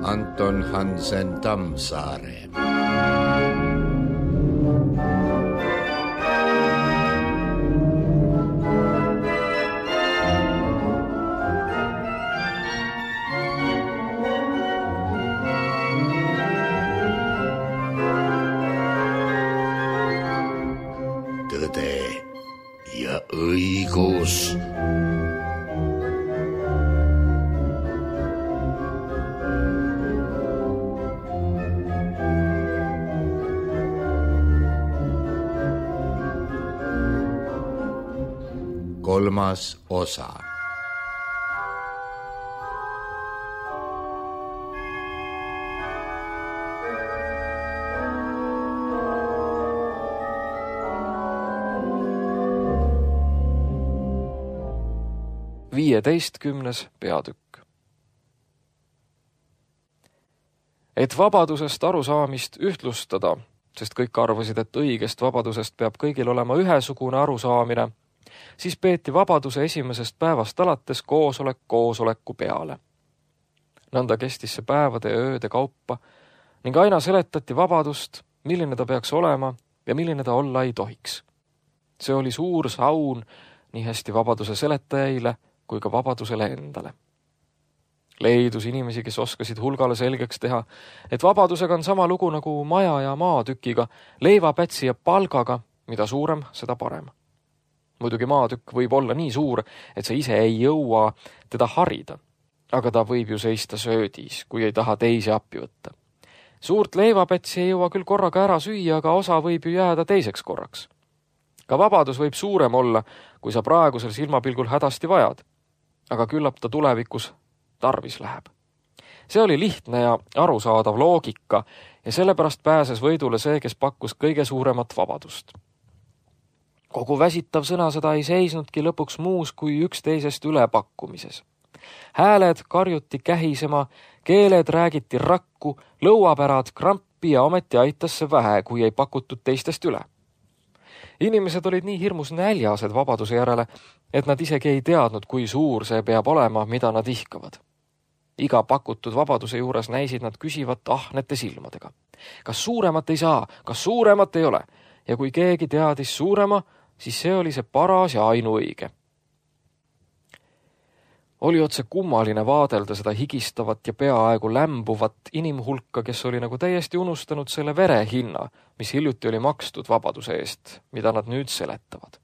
Anton Hansen Tammsaare. Tõde ja õigus. Kolmas osa. Viieteistkümnes peatükk. Et vabadusest arusaamist ühtlustada, sest kõik arvasid, et õigest vabadusest peab kõigil olema ühesugune arusaamine, siis peeti vabaduse esimesest päevast alates koosolek koosoleku peale. Nõnda kestis see päevade ja ööde kaupa ning aina seletati vabadust, milline ta peaks olema ja milline ta olla ei tohiks. See oli suur saun nii hästi vabaduse seletajaile kui ka vabadusele endale. Leidus inimesi, kes oskasid hulgale selgeks teha, et vabadusega on sama lugu nagu maja ja maatükiga, leivapätsi ja palgaga, mida suurem, seda parem. Muidugi maatükk võib olla nii suur, et sa ise ei jõua teda harida, aga ta võib ju seista söödis, kui ei taha teisi appi võtta. Suurt leivapätsi ei jõua küll korraga ära süüa, aga osa võib ju jääda teiseks korraks. Ka vabadus võib suurem olla, kui sa praegusel silmapilgul hädasti vajad, aga küllap ta tulevikus tarvis läheb. See oli lihtne ja arusaadav loogika ja sellepärast pääses võidule see, kes pakkus kõige suuremat vabadust. Kogu väsitav sõnasõda ei seisnudki lõpuks muus kui üksteisest ülepakkumises. Hääled karjuti kähisema, keeled räägiti rakku, lõuapärad krampi ja ometi aitas see vähe, kui ei pakutud teistest üle. Inimesed olid nii hirmus näljased vabaduse järele, et nad isegi ei teadnud, kui suur see peab olema, mida nad ihkavad. Iga pakutud vabaduse juures näisid nad küsivat ahnete silmadega. Kas suuremat ei saa, kas suuremat ei ole? Ja kui keegi teadis suurema, siis see oli see paras ja ainuõige. Oli otse kummaline vaadelda seda higistavat ja peaaegu lämbuvat inimhulka, kes oli nagu täiesti unustanud selle vere hinna, mis hiljuti oli makstud vabaduse eest, mida nad nüüd seletavad.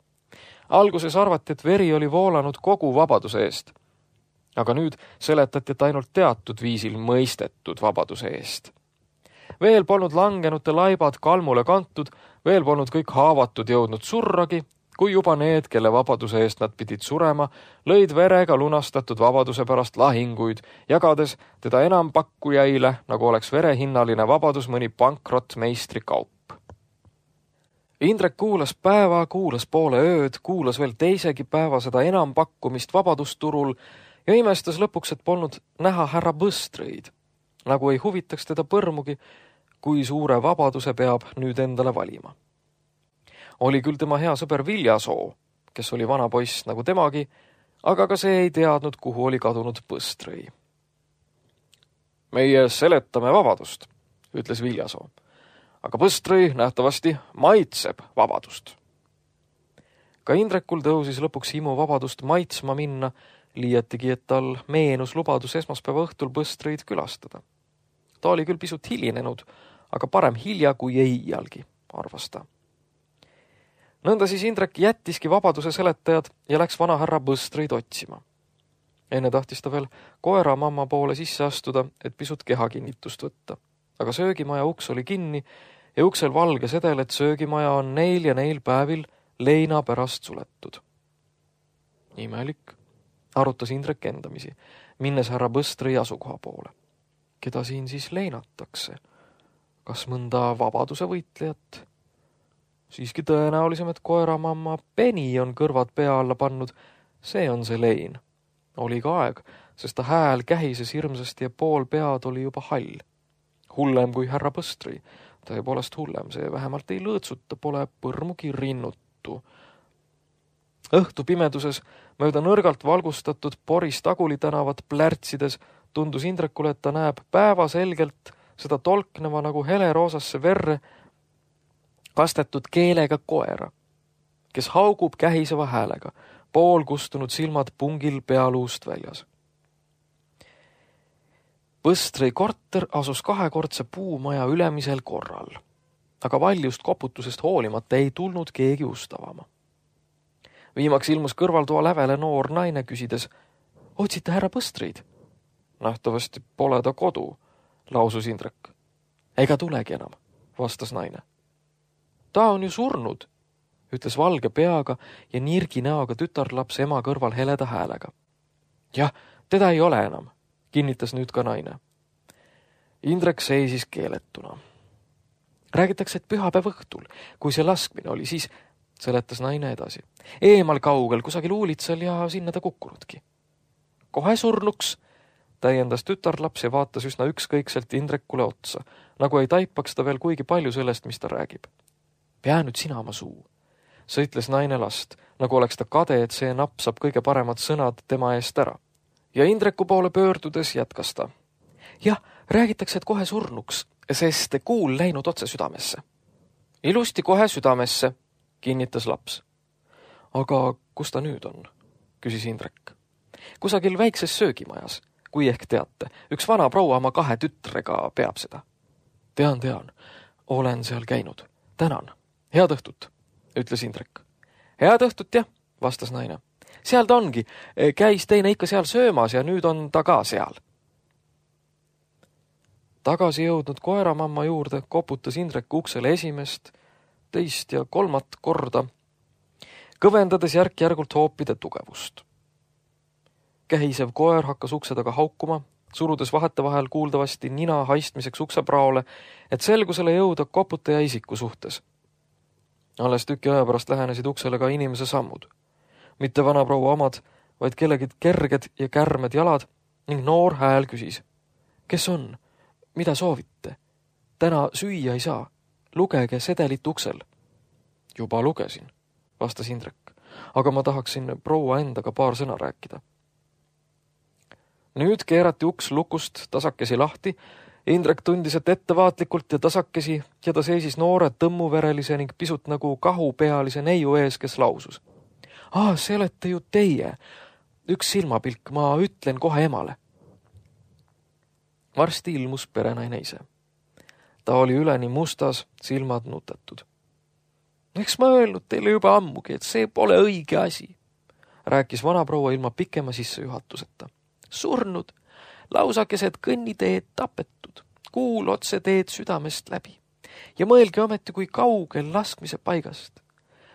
Alguses arvati, et veri oli voolanud kogu vabaduse eest, aga nüüd seletati, et ainult teatud viisil mõistetud vabaduse eest. Veel polnud langenute laibad kalmule kantud, veel polnud kõik haavatud jõudnud surragi, kui juba need, kelle vabaduse eest nad pidid surema, lõid verega lunastatud vabaduse pärast lahinguid, jagades teda enampakkujaile, nagu oleks verehinnaline vabadus mõni pankrot meistrikaup. Indrek kuulas päeva, kuulas poole ööd, kuulas veel teisegi päeva seda enampakkumist vabadusturul ja imestas lõpuks, et polnud näha härra Põstrõid, nagu ei huvitaks teda põrmugi, kui suure vabaduse peab nüüd endale valima. Oli küll tema hea sõber Viljasoo, kes oli vana poiss nagu temagi, aga ka see ei teadnud, kuhu oli kadunud Põstrõi. Meie seletame vabadust, ütles Viljasoo, aga Põstrõi nähtavasti maitseb vabadust. Ka Indrekul tõusis lõpuks himu vabadust maitsma minna, liiatigi, et tal meenus lubadus esmaspäeva õhtul Põstrõid külastada. Ta oli küll pisut hilinenud, aga parem hilja kui ei iialgi, arvas ta. Nõnda siis Indrek jättiski vabaduse seletajad ja läks vana härra Põstrõid otsima. Enne tahtis ta veel koera mamma poole sisse astuda, et pisut kehakinnitust võtta. Aga söögimaja uks oli kinni ja uksel valge sedel, et söögimaja on neil ja neil päevil leina pärast suletud. Imelik, arutas Indrek endamisi, minnes härra Põstrõi asukoha poole. Keda siin siis leinatakse? Kas mõnda vabaduse võitlejat? Siiski tõenäolisem, et koeramamma Penny on kõrvad pea alla pannud. See on see lein. Oli ka aeg, sest ta hääl kähises hirmsasti ja pool pead oli juba hall. Hullem kui härra Põstrõi. Tõepoolest hullem, see vähemalt ei lõõtsuta, pole põrmugi rinnuttu. Õhtu pimeduses mööda nõrgalt valgustatud Boris Taguli tänavat plärtsides tundus Indrekule, et ta näeb päevaselgelt seda tolkneva nagu heleroosasse verre kastetud keelega koera, kes haugub kähiseva häälega, pool kustunud silmad pungil pealuust väljas. Põstri korter asus kahekordse puumaja ülemisel korral, aga valjust koputusest hoolimata ei tulnud keegi ustavama. Viimaks ilmus kõrvaltoa lävele noor naine küsides, otsite härra Põstreid? Nähtavasti pole ta kodu, lausus Indrek. Ega tulegi enam, vastas naine. Ta on ju surnud, ütles valge peaga ja nirgi näoga tütarlaps ema kõrval heleda häälega. Jah, teda ei ole enam, kinnitas nüüd ka naine. Indrek seisis keeletuna. Räägitakse, et pühapäev õhtul, kui see laskmine oli, siis seletas naine edasi. Eemal kaugel, kusagil uulitsal ja sinna ta kukkunudki. Kohe surnuks, täiendas tütarlaps ja vaatas üsna ükskõikselt Indrekule otsa, nagu ei taipaks ta veel kuigi palju sellest, mis ta räägib. Pea nüüd sina oma suu, sõitles naine last, nagu oleks ta kade, et see napsab kõige paremad sõnad tema eest ära. Ja Indreku poole pöördudes jätkas ta. Jah, räägitakse, et kohe surnuks, sest kuul läinud otse südamesse. Ilusti kohe südamesse, kinnitas laps. Aga kus ta nüüd on? Küsis Indrek. Kusagil väikses söögimajas, kui ehk teate. Üks vana proua oma 2 tütrega peab seda. Tean. Olen seal käinud. Tänan. Head õhtut, ütles Indrek. Head õhtut, jah, vastas naine. Seal ta ongi. Käis teine ikka seal söömas ja nüüd on ta ka seal. Tagasi jõudnud koeramamma juurde koputas Indrek uksele esimest, teist ja 3. korda, kõvendades järk-järgult hoopide tugevust. Kähisev koer hakkas ukse taga haukuma, surudes vahetevahel kuuldavasti nina haistmiseks uksepraole, et selgusele jõuda koputaja isiku suhtes. Alles tüki aja pärast lähenesid uksele ka inimese sammud. Mitte vana proua omad, vaid kellegi kerged ja kärmed jalad ning noor hääl küsis. Kes on? Mida soovite? Täna süüa ei saa. Lugege sedelit uksel. Juba lugesin, vastas Indrek, aga ma tahaksin proua endaga paar sõna rääkida. Nüüd keerati uks lukust tasakesi lahti. Indrek tundis, et ettevaatlikult ja tasakesi ja ta seisis noore tõmmuverelise ning pisut nagu kahupealise neiu ees, kes lausus. See olete ju teie. Üks silmapilk, ma ütlen kohe emale. Varsti ilmus perenaine ise. Ta oli üleni mustas, silmad nutetud. Eks ma öelnud teile juba ammugi, et see pole õige asi, rääkis vanaproua ilma pikema sissejuhatuseta. Surnud, lausakesed kõnniteed tapetud, kuul otse teed südamest läbi. Ja mõelge ometi, kui kaugel laskmise paigast.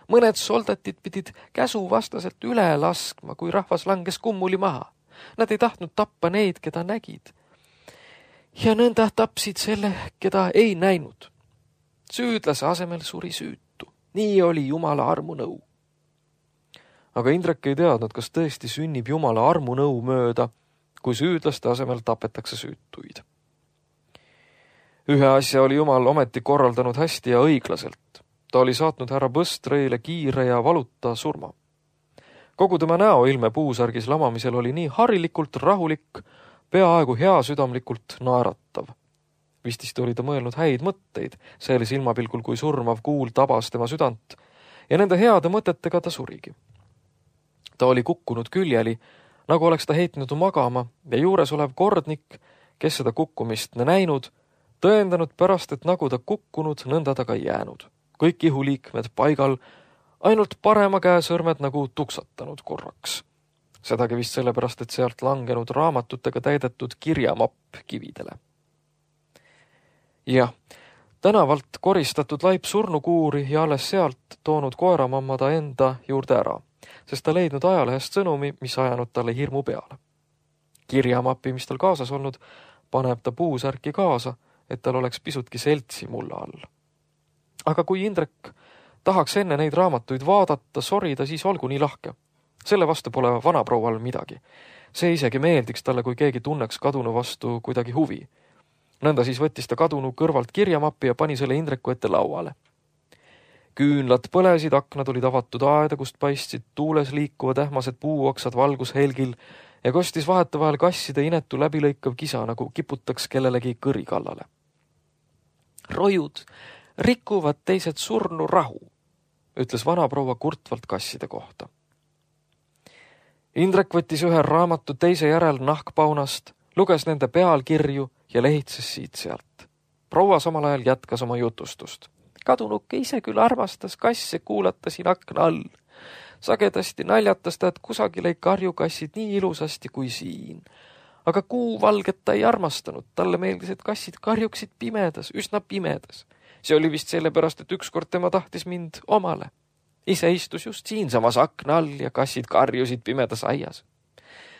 Mõned soldatid pidid käsu vastaselt üle laskma, kui rahvas langes kummuli maha. Nad ei tahtnud tappa neid, keda nägid. Ja nõnda tapsid selle, keda ei näinud. Süüdlase asemel suri süütu. Nii oli Jumala armunõu. Aga Indrek ei teadnud, kas tõesti sünnib Jumala armunõu mööda, kui süüdlaste asemel tapetakse süütuid. Ühe asja oli Jumal ometi korraldanud hästi ja õiglaselt. Ta oli saatnud härra Põstreile kiire ja valuta surma. Kogu tema näoilme puusärgis lamamisel oli nii harilikult rahulik, peaaegu heasüdamlikult naeratav. Vistist oli ta mõelnud häid mõtteid, selle silmapilgul, kui surmav kuul tabas tema südant, ja nende heade mõtetega ta surigi. Ta oli kukkunud küljeli, nagu oleks ta heitnud magama, ja juures olev kordnik, kes seda kukkumist näinud, tõendanud pärast, et nagu ta kukkunud, nõnda ta ka jäänud. Kõik ihuliikmed paigal, ainult parema käe sõrmed nagu tuksatanud korraks. Sedagi vist sellepärast, et sealt langenud raamatutega täidetud kirjamapp kividele. Jah, tänavalt koristatud laip surnukuuri ja alles sealt toonud koeramamma ta enda juurde ära, sest ta leidnud ajalehest sõnumi, mis ajanud talle hirmu peale. Kirjamappi, mis tal kaasas olnud, paneb ta puusärki kaasa, et tal oleks pisutki seltsi mulla all. Aga kui Indrek tahaks enne neid raamatuid vaadata, sorida, siis olgu nii lahke. Selle vastu pole vanaproual midagi. See isegi meeldiks talle, kui keegi tunneks kadunu vastu kuidagi huvi. Nõnda siis võttis ta kadunu kõrvalt kirjamappi ja pani selle Indreku ette lauale. Küünlad põlesid, aknad olid avatud aeda, kust paistsid tuules liikuvad ähmased puuoksad valgushelgil ja kostis vahetevahel kasside inetu läbilõikav kisa, nagu kiputaks kellelegi kõri kallale. Rojud rikuvad teised surnu rahu, ütles vanaproua kurtvalt kasside kohta. Indrek võttis ühe raamatu teise järel nahkpaunast, luges nende pealkirju ja lehitses siit-sealt. Proua samal ajal jätkas oma jutustust. Kadunuke ise küll armastas kasse kuulata siin akna all. Sagedasti naljatas ta, et kusagil ei karju kassid nii ilusasti kui siin. Aga kuuvalget ta ei armastanud. Talle meeldis, et kassid karjuksid pimedas, üsna pimedas. See oli vist sellepärast, et ükskord tema tahtis mind omale. Ise istus just siinsamas akna all ja kassid karjusid pimedas aias.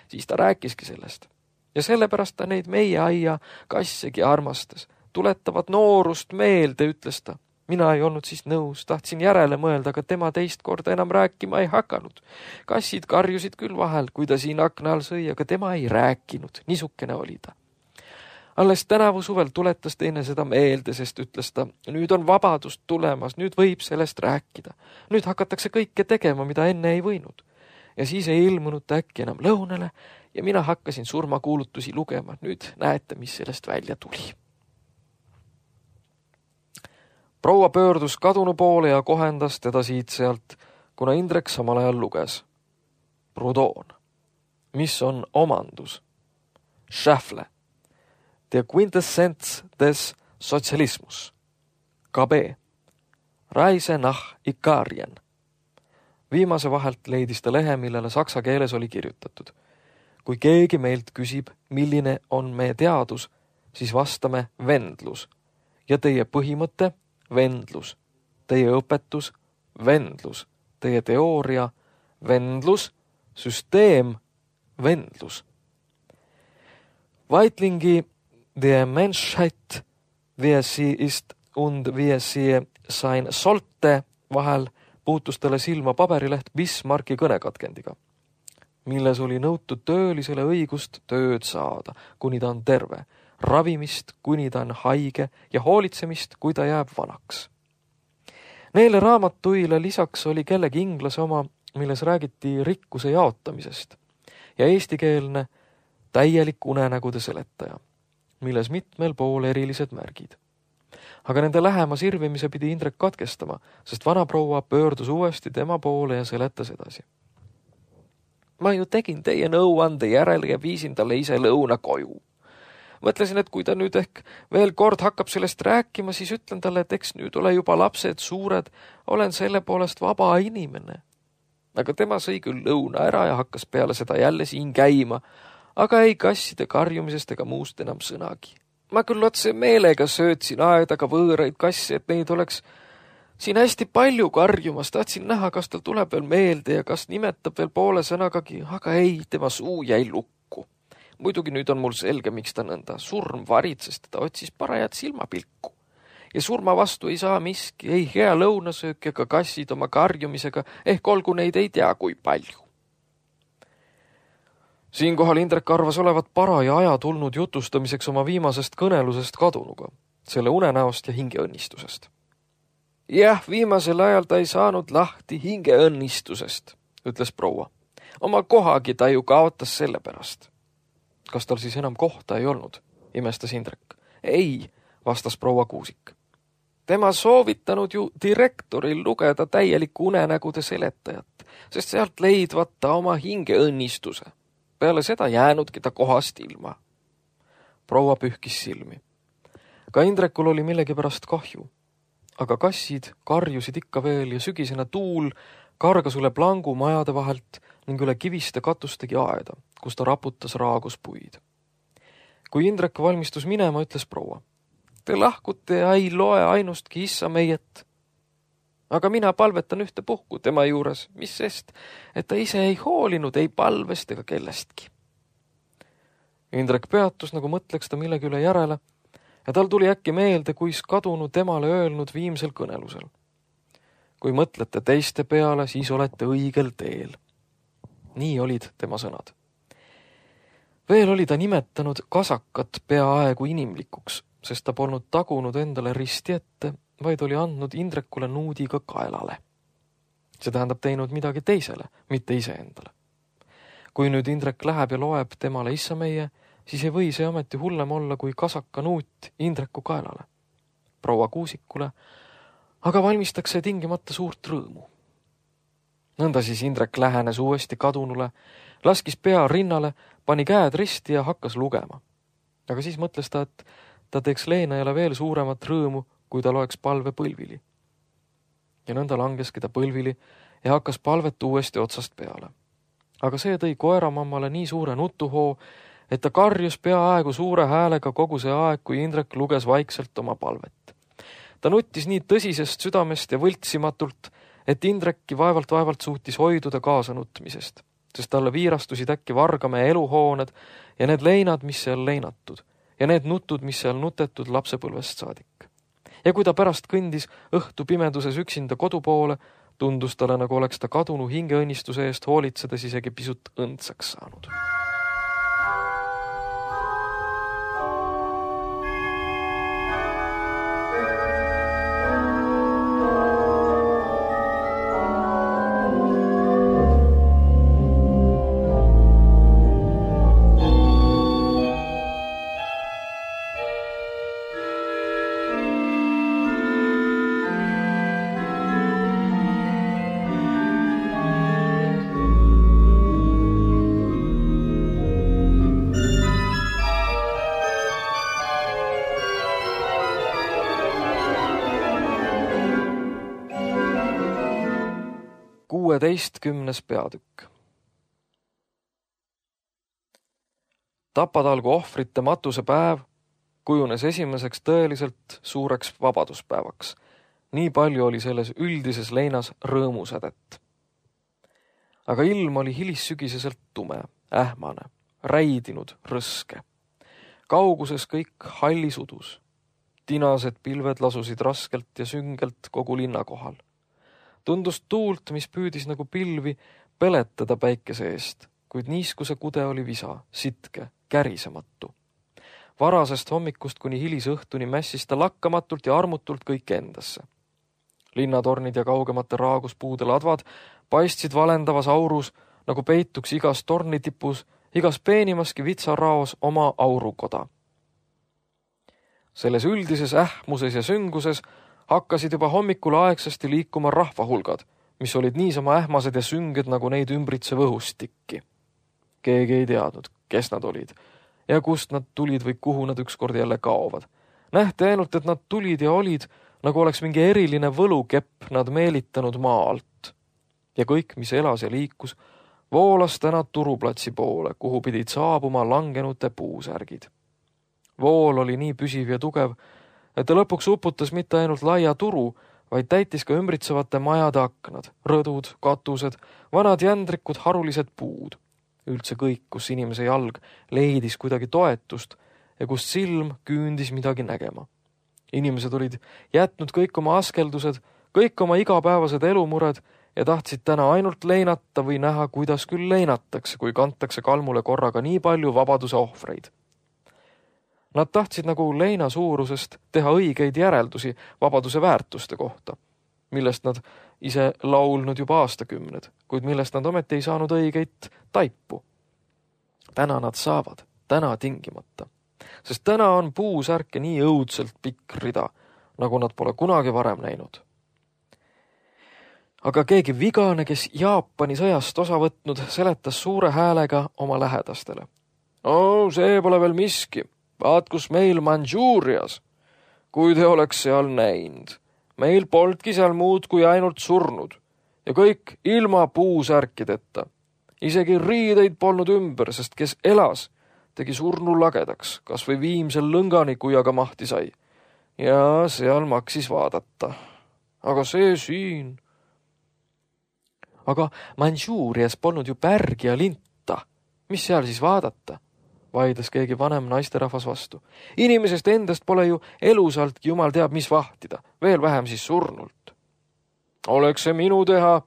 Siis ta rääkiski sellest. Ja sellepärast ta neid meie aia kassegi armastas. Tuletavad noorust meelde, ütles ta. Mina ei olnud siis nõus, tahtsin järele mõelda, aga tema teist korda enam rääkima ei hakanud. Kassid karjusid küll vahel, kui ta siin akna all sõi, aga tema ei rääkinud. Niisukene oli ta. Alles tänavu suvel tuletas teine seda meelde, sest ütles ta, nüüd on vabadust tulemas, nüüd võib sellest rääkida. Nüüd hakatakse kõike tegema, mida enne ei võinud. Ja siis ei ilmunud ta äkki enam lõunale ja mina hakkasin surmakuulutusi lugema. Nüüd näete, mis sellest välja tuli. Proua pöördus kadunu poole ja kohendas teda siit-sealt, kuna Indrek samal ajal luges. Proudhon. Mis on omandus? Schäffle. Der Quintessenz des Sozialismus. KB. Reise nach Ikarien. Viimase vahelt leidis ta lehe, millele saksa keeles oli kirjutatud. Kui keegi meilt küsib, milline on meie teadus, siis vastame vendlus. Ja teie põhimõte vendlus, teie õpetus, vendlus, teie teooria, vendlus, süsteem, vendlus. Weitlingi der Menschheit, wie sie ist und wie sie sein sollte vahel puutus talle silma paberileht Bismarcki kõnekatkendiga, milles oli nõutud töölisele õigust tööd saada, kuni ta on terve, ravimist, kuni ta on haige ja hoolitsemist, kui ta jääb vanaks. Neile raamatuile lisaks oli kellegi inglase oma, milles räägiti rikkuse jaotamisest ja eestikeelne täielik unenägude seletaja, milles mitmel pool erilised märgid. Aga nende lähema sirvimise pidi Indrek katkestama, sest vanaproua pöördus uuesti tema poole ja seletas edasi. Ma ju tegin teie nõuande järele ja viisin talle ise lõuna koju. Mõtlesin, et kui ta nüüd ehk veel kord hakkab sellest rääkima, siis ütlen talle, et eks nüüd ole juba lapsed suured, olen selle poolest vaba inimene. Aga tema sõi küll lõuna ära ja hakkas peale seda jälle siin käima, aga ei kasside karjumisest ega muust enam sõnagi. Ma küll otse meelega söötsin aedaga võõraid kasse, et neid oleks siin hästi palju karjumas. Tahtsin näha, kas tal tuleb veel meelde ja kas nimetab veel poole sõnagagi, aga ei, tema suu jäi lukku. Muidugi nüüd on mul selge, miks ta nõnda surm varitses, ta otsis parajat silmapilku. Ja surma vastu ei saa miski, ei hea lõunasöök ega kassid oma karjumisega, ehk olgu neid ei tea kui palju. Siinkohal Indrek arvas olevat paraja aja tulnud jutustamiseks oma viimasest kõnelusest kadunuga, selle unenäost ja hingeõnnistusest. Jah, viimasel ajal ta ei saanud lahti hingeõnnistusest, ütles proua. Oma kohagi ta ju kaotas selle pärast. Kas tal siis enam kohta ei olnud, imestas Indrek. Ei, vastas proua Kuusik. Tema soovitanud ju direktoril lugeda täielikku unenägude seletajat, sest sealt leidvat ta oma hingeõnnistuse. Peale seda jäänudki ta kohast ilma. Proua pühkis silmi. Ka Indrekul oli millegipärast kahju. Aga kassid karjusid ikka veel ja sügisena tuul kargas üle plangu majade vahelt ning üle kiviste katustegi aeda, kus ta raputas raaguspuid. Kui Indrek valmistus minema, ütles proua. Te lahkute ja ei loe ainustki issa meiet. Aga mina palvetan ühte puhku tema juures, mis sest, et ta ise ei hoolinud ei palvest ega kellestki. Indrek peatus, nagu mõtleks ta millegi üle järele, ja tal tuli äkki meelde, kuis kadunu temale öelnud viimsel kõnelusel. Kui mõtlete teiste peale, siis olete õigel teel. Nii olid tema sõnad. Veel oli ta nimetanud kasakat peaaegu inimlikuks, sest ta polnud tagunud endale risti ette, vaid oli andnud Indrekule nuudiga kaelale. See tähendab teinud midagi teisele, mitte iseendale. Kui nüüd Indrek läheb ja loeb temale issa meie, siis ei või see ameti hullem olla kui kasaka nuut Indreku kaelale. Proua Kuusikule aga valmistakse tingimata suurt rõõmu. Nõnda siis Indrek lähenes uuesti kadunule, laskis pea rinnale, pani käed risti ja hakkas lugema. Aga siis mõtles ta, et ta teeks leenajale veel suuremat rõõmu, kui ta loeks palve põlvili. Ja nõnda langeski ta põlvili ja hakkas palvet uuesti otsast peale. Aga see tõi koeramammale nii suure nutuhoo, et ta karjus peaaegu suure häälega kogu see aeg, kui Indrek luges vaikselt oma palvet. Ta nuttis nii tõsisest südamest ja võltsimatult, et Indrekki vaevalt suutis hoiduda kaasa nutmisest, sest talle viirastusid äkki Vargamäe eluhooned ja need leinad, mis seal leinatud, ja need nutud, mis seal nutetud lapsepõlvest saadik. Ja kui ta pärast kõndis õhtu pimeduses üksinda kodu poole, tundus talle, nagu oleks ta kadunu hingeõnnistuse eest hoolitsedes isegi pisut õndsaks saanud. Peatükk. Tapatalgu ohvrite matuse päev kujunes esimeseks tõeliselt suureks vabaduspäevaks. Nii palju oli selles üldises leinas rõõmusädet. Aga ilm oli hilissügiseselt tume, ähmane, räidinud, rõske. Kauguses kõik hallis udus. Tinased pilved lasusid raskelt ja süngelt kogu linna kohal. Tundus tuult, mis püüdis nagu pilvi peletada päikese eest, kuid niiskuse kude oli visa, sitke, kärisematu. Varasest hommikust kuni hilisõhtuni mässis ta lakkamatult ja armutult kõik endasse. Linnatornid ja kaugemate raaguspuude ladvad paistsid valendavas aurus, nagu peituks igas tornitipus, igas peenimaski vitsaraos oma aurukoda. Selles üldises ähmuses ja sünguses hakkasid juba hommikul aegsasti liikuma rahvahulgad, mis olid niisama ähmased ja sünged nagu neid ümbritsev õhustikki. Keegi ei teadnud, kes nad olid ja kust nad tulid või kuhu nad ükskord jälle kaovad. Nähti ainult, et nad tulid ja olid, nagu oleks mingi eriline võlukepp nad meelitanud maa alt. Ja kõik, mis elas ja liikus, voolas täna turuplatsi poole, kuhu pidid saabuma langenute puusärgid. Vool oli nii püsiv ja tugev, et ta lõpuks uputas mitte ainult laia turu, vaid täitis ka ümbritsevate majade aknad, rõdud, katused, vanad jändrikud, harulised puud. Üldse kõik, kus inimese jalg leidis kuidagi toetust ja kust silm küündis midagi nägema. Inimesed olid jätnud kõik oma askeldused, kõik oma igapäevased elumured ja tahtsid täna ainult leinata või näha, kuidas küll leinatakse, kui kantakse kalmule korraga nii palju vabaduse ohvreid. Nad tahtsid nagu leina suurusest teha õigeid järeldusi vabaduse väärtuste kohta, millest nad ise laulnud juba aastakümned, kuid millest nad ometi ei saanud õigeid taipu. Täna nad saavad, täna tingimata, sest täna on puusärke nii õudselt pikk rida, nagu nad pole kunagi varem näinud. Aga keegi vigane, kes Jaapani sõjast osa võtnud, seletas suure häälega oma lähedastele. See pole veel miski. Vaat, kus meil Mandžuurias, kui te oleks seal näinud. Meil polnudki seal muud kui ainult surnud ja kõik ilma puusärkideta. Isegi riideid polnud ümber, sest kes elas, tegi surnu lagedaks, kas või viimsel lõngani, kui aga mahti sai. Ja seal maksis vaadata. Aga see siin. Aga Mandžuurias polnud ju pärgi ja linta. Mis seal siis vaadata? Vaidles keegi vanem naisterahvas vastu. Inimesest endast pole ju elusaltki jumal teab mis vahtida, veel vähem siis surnult. Oleks see minu teha,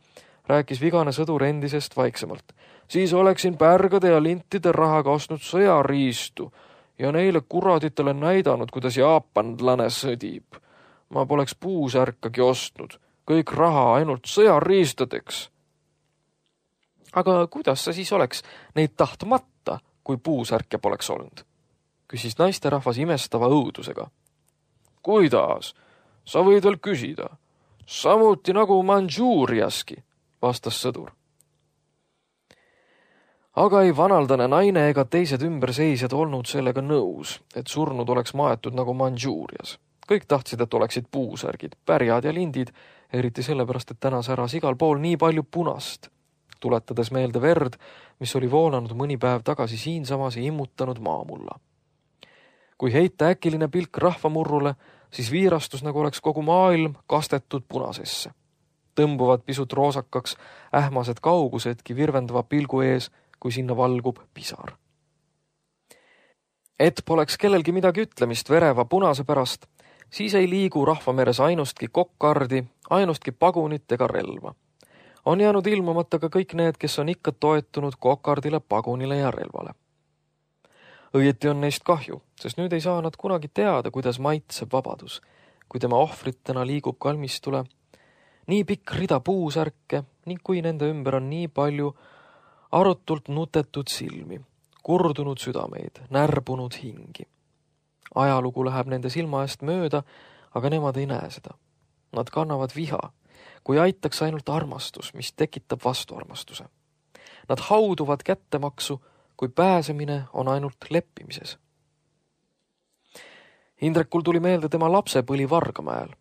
rääkis vigane sõdur endisest vaiksemalt. Siis oleksin pärgade ja lintide rahaga ostnud sõjariistu ja neile kuraditele näidanud, kuidas jaapanlane sõdib. Ma poleks puusärkagi ostnud, kõik raha ainult sõjariistadeks. Aga kuidas sa siis oleks neid tahtmata, kui puusärke poleks olnud? Küsis naisterahvas imestava õudusega. Kuidas? Sa võid veel küsida. Samuti nagu Mandžuuriaski, vastas sõdur. Aga ei vanaldane naine ega teised ümberseisjad olnud sellega nõus, et surnud oleks maetud nagu Mandžuurias. Kõik tahtsid, et oleksid puusärgid, pärjad ja lindid, eriti sellepärast, et täna säras igal pool nii palju punast, tuletades meelde verd, mis oli voolanud mõni päev tagasi siinsamas ja immutanud maamulla. Kui heita äkiline pilk rahvamurrule, siis viirastus nagu oleks kogu maailm kastetud punasesse. Tõmbuvad pisut roosakaks ähmased kaugusedki virvendava pilgu ees, kui sinna valgub pisar. Et poleks kellelgi midagi ütlemist vereva punase pärast, siis ei liigu rahvameres ainustki kokkardi, ainustki pagunit ega relva. On jäänud ilmumata ka kõik need, kes on ikka toetunud kokardile, pagunile ja relvale. Õieti on neist kahju, sest nüüd ei saa nad kunagi teada, kuidas maitseb vabadus, kui tema ohvritena liigub kalmistule nii pikk rida puusärke ning kui nende ümber on nii palju arutult nutetud silmi, kurdunud südameid, närbunud hingi. Ajalugu läheb nende silma eest mööda, aga nemad ei näe seda. Nad kannavad viha, kui aitaks ainult armastus, mis tekitab vastuarmastuse. Nad hauduvad kättemaksu, kui pääsemine on ainult leppimises. Indrekul tuli meelde tema lapsepõli Vargamäel.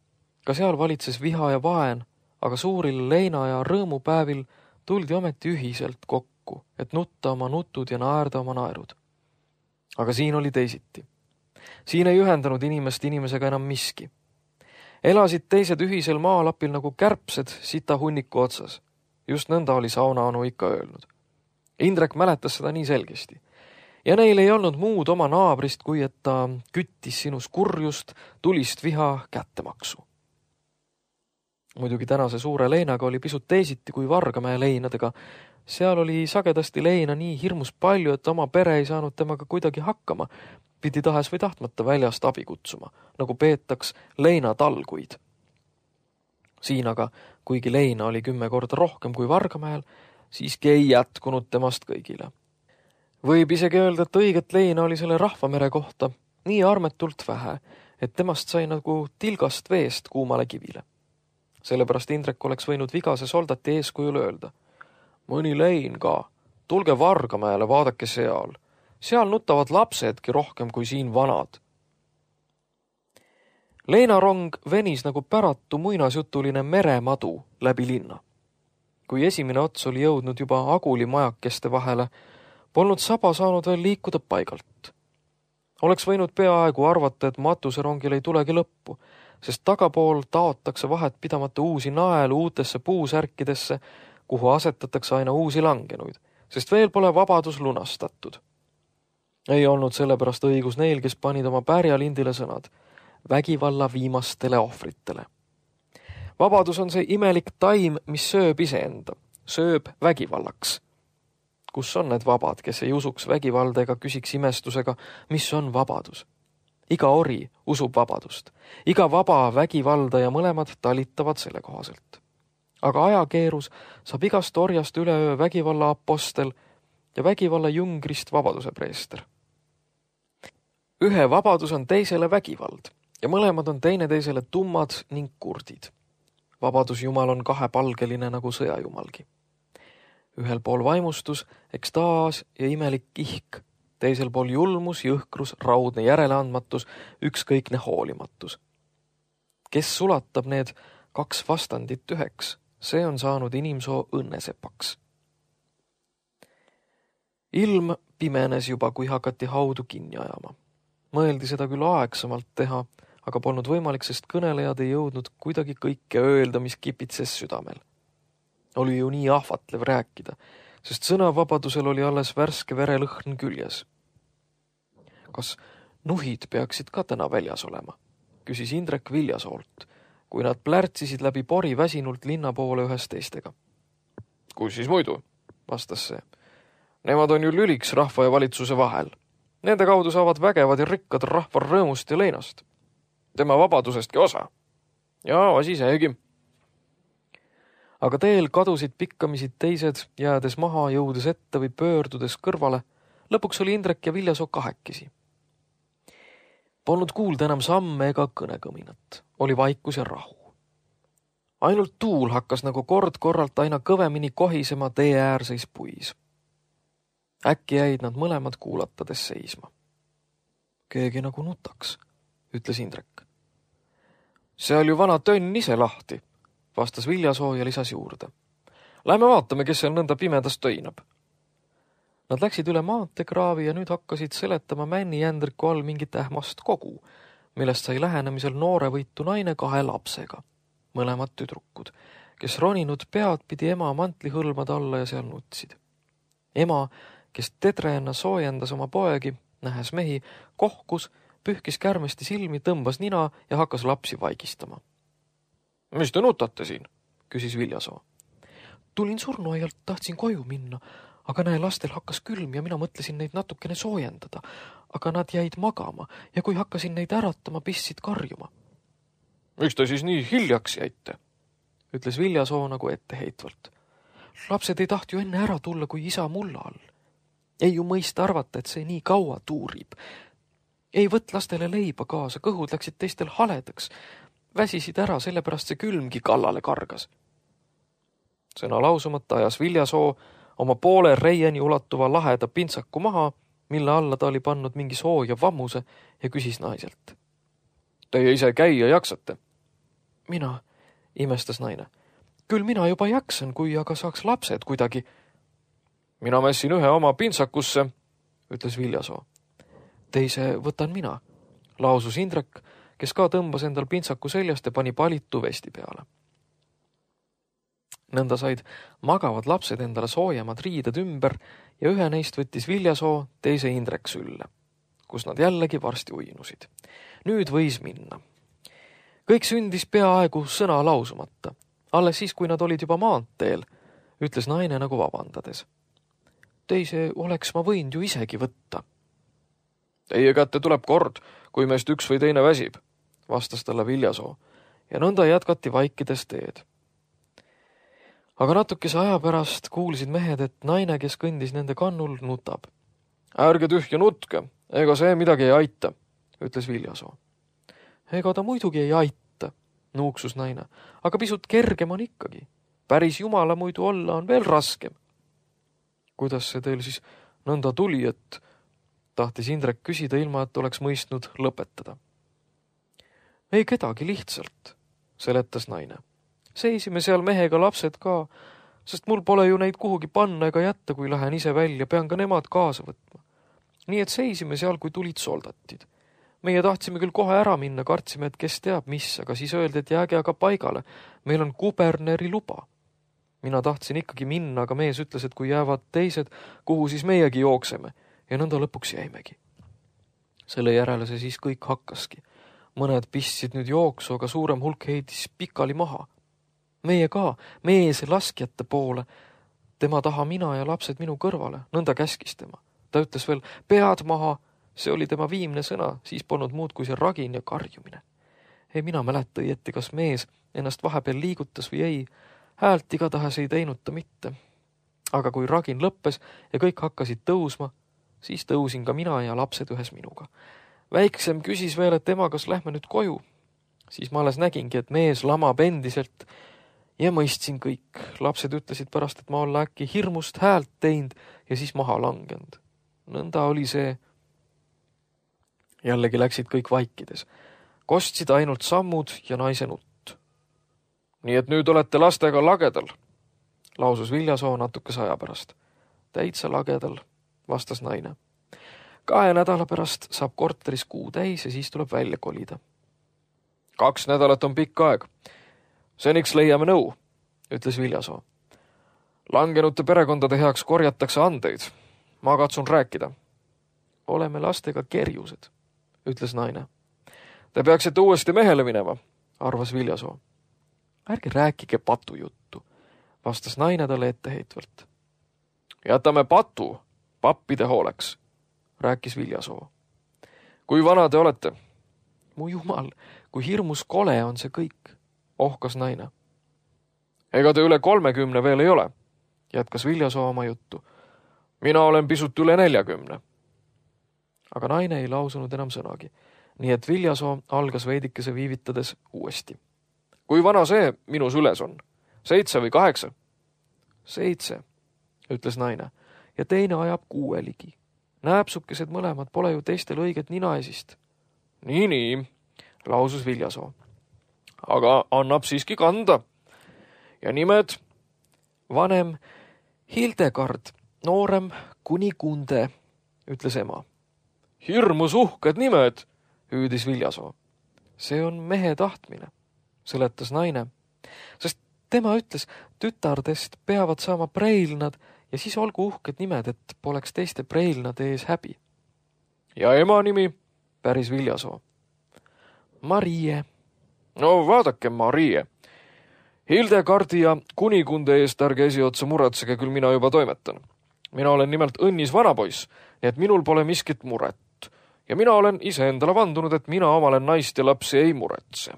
Ka seal valitses viha ja vaen, aga suuril leina- ja rõõmupäevil tuldi ometi ühiselt kokku, et nutta oma nutud ja naerda oma naerud. Aga siin oli teisiti. Siin ei ühendanud inimest inimesega enam miski. Elasid teised ühisel maalapil nagu kärbsed sita hunniku otsas. Just nõnda oli saunaanu ikka öelnud. Indrek mäletas seda nii selgesti. Ja neil ei olnud muud oma naabrist, kui et ta küttis sinus kurjust, tulist viha, kättemaksu. Muidugi tänase suure leinaga oli pisut teisiti kui Vargamäe leinadega. Seal oli sagedasti leina nii hirmus palju, et oma pere ei saanud temaga kuidagi hakkama. Pidi tahes või tahtmata väljast abi kutsuma, nagu peetaks leinatalguid. Siin aga, kuigi leina oli 10 korda rohkem kui Vargamäel, siiski ei jätkunud temast kõigile. Võib isegi öelda, et õiget leina oli selle rahvamere kohta nii armetult vähe, et temast sai nagu tilgast veest kuumale kivile. Sellepärast Indrek oleks võinud vigase soldati eeskujul öelda. Mõni lein ka, tulge Vargamäele, vaadake seal. Seal nutavad lapsedki rohkem kui siin vanad. Leinarong venis nagu päratu muinasjutuline meremadu läbi linna. Kui esimene ots oli jõudnud juba Aguli majakeste vahele, polnud saba saanud veel liikuda paigalt. Oleks võinud peaaegu arvata, et matuserongil ei tulegi lõppu, sest tagapool taotakse vahet pidamata uusi naelu uutesse puusärkidesse, kuhu asetatakse aina uusi langenuid, sest veel pole vabadus lunastatud. Ei olnud sellepärast õigus neil, kes panid oma pärjalindile sõnad vägivalla viimastele ohvritele. Vabadus on see imelik taim, mis sööb iseenda, sööb vägivallaks. Kus on need vabad, kes ei usuks vägivalda ega küsiks imestusega, mis on vabadus? Iga ori usub vabadust, iga vaba vägivalda ja mõlemad talitavad selle kohaselt. Aga ajakeerus saab igast orjast üleöö vägivalla apostel ja vägivalla jungrist vabaduse preester. Ühe vabadus on teisele vägivald ja mõlemad on teineteisele tummad ning kurdid. Vabadusjumal on kahepalgeline nagu sõjajumalgi. Ühel pool vaimustus, ekstaas ja imelik kihk, teisel pool julmus, jõhkrus, raudne järeleandmatus, ükskõikne hoolimatus. Kes sulatab need 2 vastandit üheks, see on saanud inimsoo õnnesepaks. Ilm pimenes juba, kui hakati haudu kinni ajama. Mõeldi seda küll aegsamalt teha, aga polnud võimalik, sest kõnelejad ei jõudnud kuidagi kõike öelda, mis kipitses südamel. Oli ju nii ahvatlev rääkida, sest sõnavabadusel oli alles värske verelõhn küljes. Kas nuhid peaksid ka täna väljas olema? Küsis Indrek Viljasoolt, kui nad plärtsisid läbi pori väsinult linna poole ühes teistega. Kus siis muidu, vastas see. Nemad on ju lüliks rahva ja valitsuse vahel. Nende kaudu saavad vägevad ja rikkad rahva rõõmust ja leinast. Tema vabadusestki osa. Ja asi seegi. Aga teel kadusid pikkamisid teised, jäädes maha, jõudes ette või pöördudes kõrvale. Lõpuks oli Indrek ja Viljasoo kahekesi. Polnud kuulda enam samme ega kõnekõminat. Oli vaikus ja rahu. Ainult tuul hakkas nagu kord-korralt aina kõvemini kohisema tee äärseis puis. Äkki jäid nad mõlemad kuulatades seisma. Keegi nagu nutaks, ütles Indrek. See oli ju vana tönn ise lahti, vastas Viljasoo ja lisas juurde. Lähme vaatame, kes seal nõnda pimedas töinab. Nad läksid üle maanteekraavi ja nüüd hakkasid seletama männijändriku all mingit ähmast kogu, millest sai lähenemisel noorevõitu naine 2 lapsega, mõlemad tüdrukud, kes roninud pead pidi ema mantlihõlmade alla ja seal nutsid. Ema, kes tedreena soojendas oma poegi, nähes mehi, kohkus, pühkis kärmesti silmi, tõmbas nina ja hakkas lapsi vaigistama. Mis te nutate siin? Küsis Viljasoo. Tulin surnuaialt, tahtsin koju minna, aga näe, lastel hakkas külm ja mina mõtlesin neid natukene soojendada, aga nad jäid magama ja kui hakkasin neid äratama, pistsid karjuma. Miks te siis nii hiljaks jäite? Ütles Viljasoo nagu etteheitvalt. Lapsed ei tahti ju enne ära tulla, kui isa mulla all. Ei ju mõista arvata, et see nii kaua tuurib. Ei võt lastele leiba kaasa, kõhud läksid teistel haledaks. Väsisid ära, sellepärast see külmgi kallale kargas. Sõna lausumata ajas Viljasoo oma poole reieni ulatuva laheda pintsaku maha, mille alla ta oli pannud mingi sooja vammuse ja küsis naiselt. Teie ise käia jaksate? Mina, imestas naine. Küll mina juba jaksan, kui aga saaks lapsed kuidagi. Mina mässin ühe oma pintsakusse, ütles Viljasoo. Teise võtan mina, lausus Indrek, kes ka tõmbas endal pintsaku seljast ja pani palitu vesti peale. Nõnda said magavad lapsed endale soojemad riided ümber ja ühe neist võttis Viljasoo, teise Indrek sülle, kus nad jällegi varsti uinusid. Nüüd võis minna. Kõik sündis peaaegu sõna lausumata. Alles siis, kui nad olid juba maanteel, ütles naine nagu vabandades. Teise oleks ma võinud ju isegi võtta. Teie kätte tuleb kord, kui meist üks või teine väsib, vastas talle Viljasoo ja nõnda jätkati vaikides teed. Aga natukese aja pärast kuulsid mehed, et naine, kes kõndis nende kannul, nutab. Ärge tühja nutke, ega see midagi ei aita, ütles Viljasoo. Ega ta muidugi ei aita, nuuksus naine, aga pisut kergem on ikkagi. Päris jumala muidu olla on veel raskem. Kuidas see teil siis nõnda tuli, et tahtis Indrek küsida ilma, et oleks mõistnud lõpetada. Ei kedagi lihtsalt, seletas naine. Seisime seal mehega lapsed ka, sest mul pole ju neid kuhugi panna ega jätta, kui lähen ise välja, pean ka nemad kaasa võtma. Nii et seisime seal, kui tulid soldatid. Meie tahtsime küll kohe ära minna, kartsime, et kes teab mis, aga siis öeldi, et jääge aga paigale. Meil on kuberneri luba. Mina tahtsin ikkagi minna, aga mees ütles, et kui jäävad teised, kuhu siis meiegi jookseme. Ja nõnda lõpuks jäimegi. Selle järele see siis kõik hakkaski. Mõned pistsid nüüd jooksu, aga suurem hulk heidis pikali maha. Meie ka, mees laskjate poole. Tema taha mina ja lapsed minu kõrvale, nõnda käskis tema. Ta ütles veel, pead maha, see oli tema viimne sõna, siis polnud muud kui see ragin ja karjumine. Ei mina mäleta õieti, kas mees ennast vahepeal liigutas või ei, häält igatahes ei teinud ta mitte. Aga kui ragin lõppes ja kõik hakkasid tõusma, siis tõusin ka mina ja lapsed ühes minuga. Väiksem küsis veel, et tema, kas lähme nüüd koju. Siis ma alles nägingi, et mees lamab endiselt ja mõistsin kõik. Lapsed ütlesid pärast, et ma olla äkki hirmust häält teinud ja siis maha langenud. Nõnda oli see. Jällegi läksid kõik vaikides. Kostsid ainult sammud ja naise nutt. Nii et nüüd olete lastega lagedal, lausus Viljasoo natukese aja pärast. Täitsa lagedal, vastas naine. 2 nädala pärast saab korteris kuu täis ja siis tuleb välja kolida. 2 nädalat on pikk aeg. Seniks leiame nõu, ütles Viljasoo. Langenute perekondade heaks korjatakse andeid. Ma katsun rääkida. Oleme lastega kerjused, ütles naine. Te peaksite uuesti mehele minema, arvas Viljasoo. Ärge rääkige patujuttu, vastas naine talle etteheitvalt. Jätame patu pappide hooleks, rääkis Viljasoo. Kui vana te olete? Mu jumal, kui hirmus kole on see kõik, ohkas naine. Ega te üle 30 veel ei ole, jätkas Viljasoo oma juttu. Mina olen pisut üle 40. Aga naine ei lausunud enam sõnagi, nii et Viljasoo algas veidikese viivitades uuesti. Kui vana see minu süles on? 7 või 8? 7, ütles naine, ja teine ajab 6 ligi. Nääpsukesed mõlemad pole ju teistel õiget ninaesist. Nii, lausus Viljasoo. Aga annab siiski kanda. Ja nimed? Vanem Hildegard, noorem Kunigunde, ütles ema. Hirmus uhked nimed, hüüdis Viljasoo. See on mehe tahtmine, seletas naine, sest tema ütles, tütardest peavad saama preilnad ja siis olgu uhked nimed, et poleks teiste preilnade ees häbi. Ja ema nimi? Päris Viljasoo. Marie. No vaadake, Marie. Hildegardi ja Kunigunde eest ärge esiotsa muretsege, küll mina juba toimetan. Mina olen nimelt õnnis vanapoiss, nii et minul pole miskit muret. Ja mina olen iseendale vandunud, et mina omale naist ja lapsi ei muretse.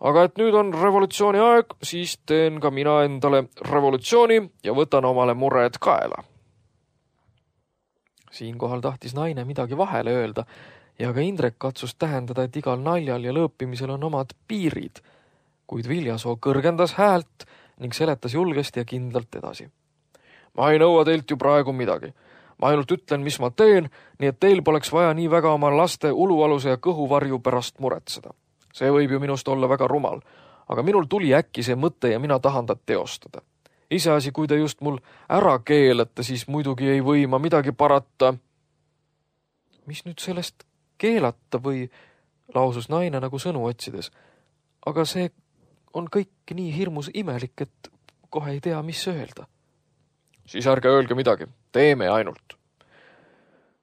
Aga et nüüd on revolutsiooni aeg, siis teen ka mina endale revolutsiooni ja võtan omale mured kaela. Siinkohal tahtis naine midagi vahele öelda ja ka Indrek katsus tähendada, et igal naljal ja lõõpimisel on omad piirid, kuid Viljasoo kõrgendas häält ning seletas julgesti ja kindlalt edasi. Ma ei nõua teilt ju praegu midagi. Ma ainult ütlen, mis ma teen, nii et teil poleks vaja nii väga oma laste ulualuse ja kõhuvarju pärast muretseda. See võib ju minust olla väga rumal, aga minul tuli äkki see mõte ja mina tahan ta teostada. Iseasi, kui te just mul ära keelate, siis muidugi ei või ma midagi parata. Mis nüüd sellest keelata või, lausus naine nagu sõnu otsides. Aga see on kõik nii hirmus imelik, et kohe ei tea, mis öelda. Siis ärge öelge midagi, teeme ainult.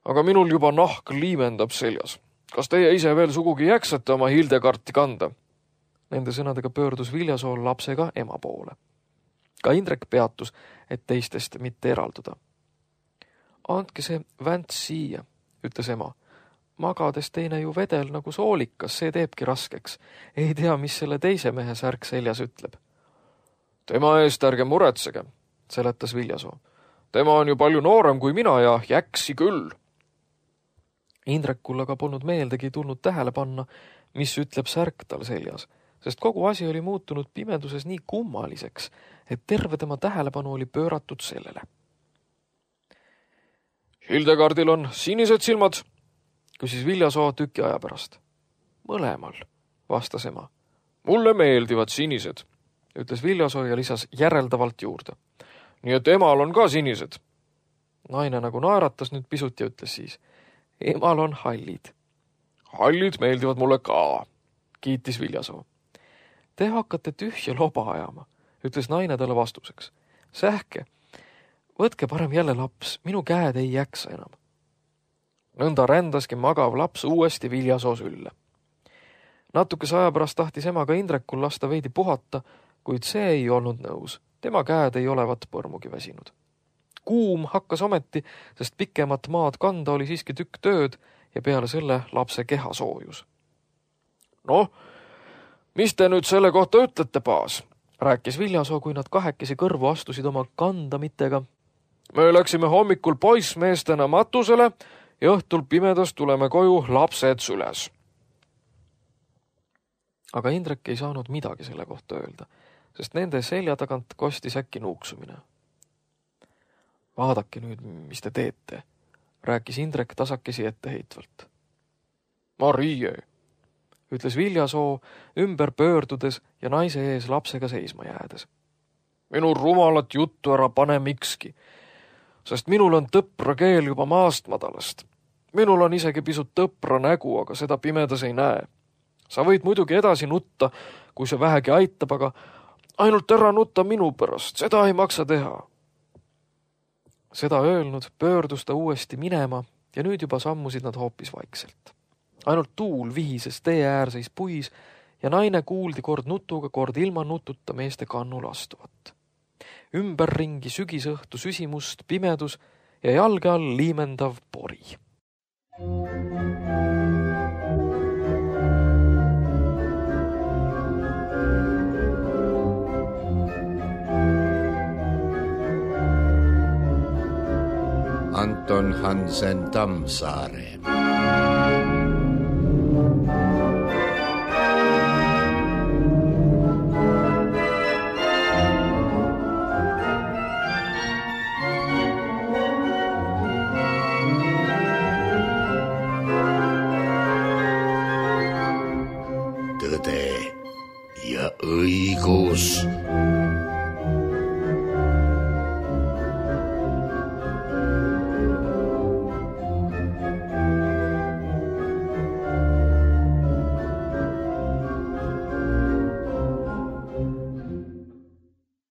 Aga minul juba nahk liimendab seljas. Kas teie ise veel sugugi jäksate oma Hildegarti kanda? Nende sõnadega pöördus Viljasoo lapsega ema poole. Ka Indrek peatus, et teistest mitte eralduda. Andke see vänts siia, ütles ema. Magades teine ju vedel nagu soolikas, see teebki raskeks. Ei tea, mis selle teise mehe särk seljas ütleb. Tema eest ärge muretsege, seletas Viljasoo. Tema on ju palju noorem kui mina ja jäksi küll. Indrekul aga polnud meeldegi tulnud tähele panna, mis ütleb särk tal seljas, sest kogu asi oli muutunud pimeduses nii kummaliseks, et terve tema tähelepanu oli pööratud sellele. Hildegardil on sinised silmad, küsis Viljasoo tüki aja pärast. Mõlemal, vastas ema. Mulle meeldivad sinised, ütles Viljasoo ja lisas järeldavalt juurde. Nii et emal on ka sinised. Naine nagu naeratas nüüd pisut ja ütles siis. Emal on hallid. Hallid meeldivad mulle ka, kiitis Viljasoo. Te hakkate tühja loba ajama, ütles naine talle vastuseks. Sähke, võtke parem jälle laps, minu käed ei jaksa enam. Nõnda rändaski magav laps uuesti Viljasoo sülle. Natukese aja pärast tahtis ema ka Indrekul lasta veidi puhata, kuid see ei olnud nõus. Tema käed ei olevat põrmugi väsinud. Kuum hakkas ometi, sest pikemat maad kanda oli siiski tükk tööd ja peale selle lapse keha soojus. Noh, mis te nüüd selle kohta ütlete, paas? Rääkis Viljasoo, kui nad kahekesi kõrvu astusid oma kandamitega. Me läksime hommikul poissmeestena matusele ja õhtul pimedas tuleme koju lapsed süles. Aga Indrek ei saanud midagi selle kohta öelda, sest nende selja tagant kostis äkki nuuksumine. Vaadake nüüd, mis te teete, rääkis Indrek tasakesi etteheitvalt. Marie, ütles Viljasoo ümber pöördudes ja naise ees lapsega seisma jäädes. Minu rumalat juttu ära pane mikski, sest minul on tõpra keel juba maast madalast. Minul on isegi pisut tõpra nägu, aga seda pimedas ei näe. Sa võid muidugi edasi nutta, kui see vähegi aitab, aga ainult ära nutta minu pärast, seda ei maksa teha. Seda öelnud pöördus ta uuesti minema ja nüüd juba sammusid nad hoopis vaikselt. Ainult tuul vihises tee äärseis puis ja naine kuuldi kord nutuga, kord ilma nututa meeste kannul astuvat. Ümberringi sügisõhtu süsimust, pimedus ja jalge all liimendav pori. Anton Hansen Tammsaare.